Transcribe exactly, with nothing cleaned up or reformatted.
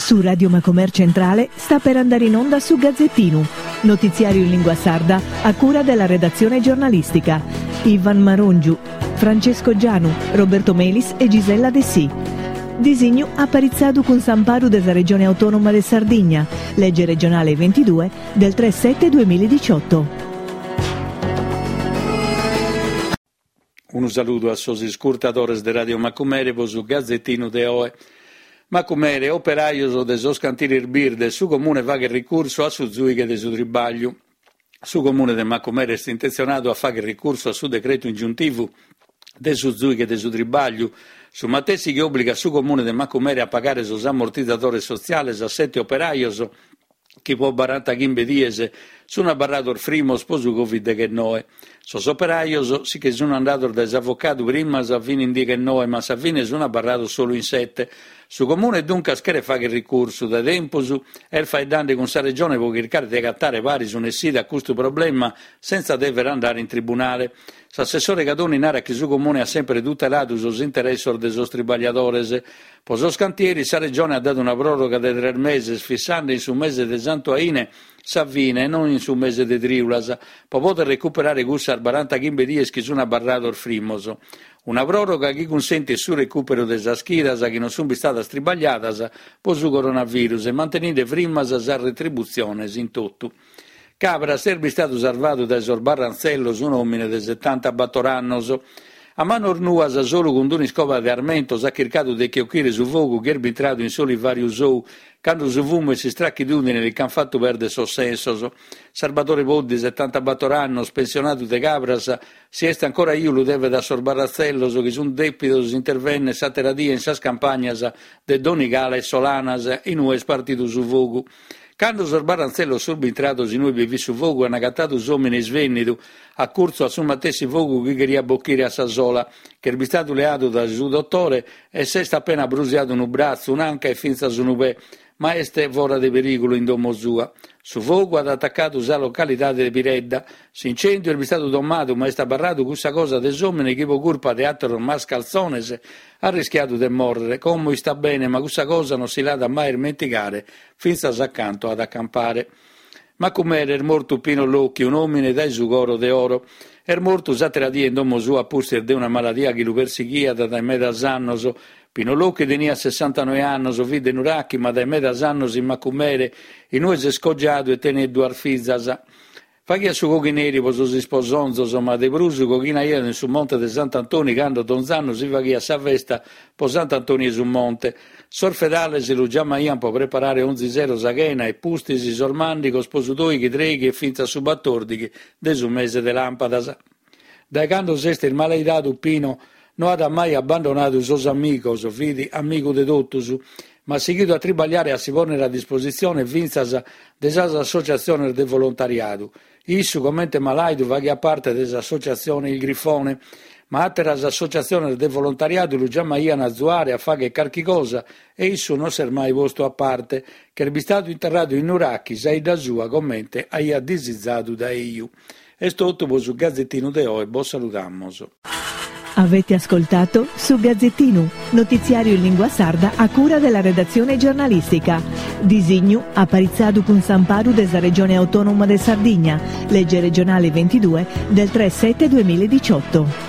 Su Radio Macomer Centrale sta per andare in onda su Gazzettinu, notiziario in lingua sarda a cura della redazione giornalistica. Ivan Marongiu, Francesco Gianu, Roberto Melis e Gisella Dessì. Disignu aparitzadu cun s'amparu de sa Regione Autonoma de Sardigna, legge regionale ventidue del tre sette duemiladiciotto. Unu saludu a sos iscurtadores de Radio Macumere po su Gazzettinu de oe. Macumere, operajos de sos cantieris birdes, su comune faghet ricursu a su zuighe de su tribagliu. Su comune de Macumere est intenzionadu a fagher ricursu a su decretu ingiuntivu de su zuighe de su tribagliu, su matessi chi obbligat su comune de Macumere a pagare sos ammortizzadores sotziales a sette operajos chi po barantachimbe dies sun abarrados frimos po su Covid deghennoe. Sos operajos si che sun andados dae s'avocadu primas fin in deghennoe, ma a sa fine sun abarrados solu in sette. Su comune duncas cheret fagher ricursu. Dae tempus est faeddende cun sa regione po chircare de agatare paris un'essida a custu problema senza dever andare in tribunale. S'assessore Cadoni narat chi su comune at sempre tuteladu sos interessos de sos tribagliadores. Po sos cantieris sa regione at dadu una pròroga de tres meses, fissende in su mese de Santu Aine sa fine e non in su mese de Trìulas, po poder recuperare cussas barantachimbe dies chi sun abarrados frimos. Una pròroga chi cunsentit su recùperu de sas chidas chi non sun bistadas tribagliadas po su coronavirus e manteninde frimas sas retributziones in totu. Cabras est bistadu sarvadu dae sos barrantzellos un'òmine de setantabattor annos. A manos nuas, solu cun d'un'iscoba de armentos, at chircadu de che ochire su fogu chi est bintradu in s'olivàriu sou, cando su fumu e s'istrachidùdine li ch'ant fatu pèrdere sos sensos. Salvatore Poddi, setantabattor annos, pensionadu de Cabras, si est ancora 'iu lu devet a sos barratzellos chi sunt dèpidos intervènnere s'àtera die in sas campagnas de Donigala e Solanas, in ue est partidu su fogu. Cando sos barrantzellos sunt bintrados in ue bi fit su fogu an agatadu s'òmine isvènnidu, a curtzu a su matessi fogu chi cheriat bochire a sa sola, ch'est bistadu leadu dae su dotore e s'est apena brusiadu unu bratzu, un'anca e fintzas unu pè, ma est fora de perìgulu in domo sua. Su fogu at atacadu sa localidade de Piredda. S'incendiu est bistadu domadu, ma est abarradu cussa cosa de s'òmine chi po curpa de àteros mascaltzones at rischiadu de mòrrere. Como istat bene, ma cussa cosa non si l'at mai ismentigare fintzas a cantu at a campare. Macumere est mortu Pino Locchi, un'òmine dae su coro de oro. Est mortu s'àtera die in domo sua a pustis de una maladia chi lu persighiat dae medas annos. Pino Locchi teniat sessantanoe annos, fit de Nurachi, ma dae medas annos in Macumere, in ue s'est cogiadu e tenet duas fizas. Faghiat su coghineri po sos isposonzos, ma de prus coghinaiat in su Monte de Sant'Antoni cando donz'annu si faghiat sa festa po Sant'Antoni 'e su Monte. Sos fedales lu giamaian po preparare onzi sero sa chena e pustis sos màndigos po su doighi, treighi e fintzas su batòrdighi de su mese de làmpadas. Dae cando s'est ismalaidadu Pino no at mai abbandonadu sos amigos, fit amigu de totus, ma at sighidu a tribagliare e a si pònnere a dispositzione fintzas de sas associatziones de volontariadu. Issu, comente malàidu, faghiat parte de s'associatzione Il Grifone, ma àteras associatziones de volontariadu lu giamaian a azuare a fagher carchi cosa e issu non s'est mai postu a parte, ch'est bistadu interradu in Nurachi, sa 'idda sua, comente aiat disizadu dae 'iu. Est totu po su Gazzettinu de oe, bos saludamos. Avete ascoltato su Gazzettinu, notiziario in lingua sarda a cura della redazione giornalistica. Disignu aparitzadu cun s'amparu de sa Regione Autonoma de Sardigna, legge regionale ventidue del tre sette duemiladiciotto.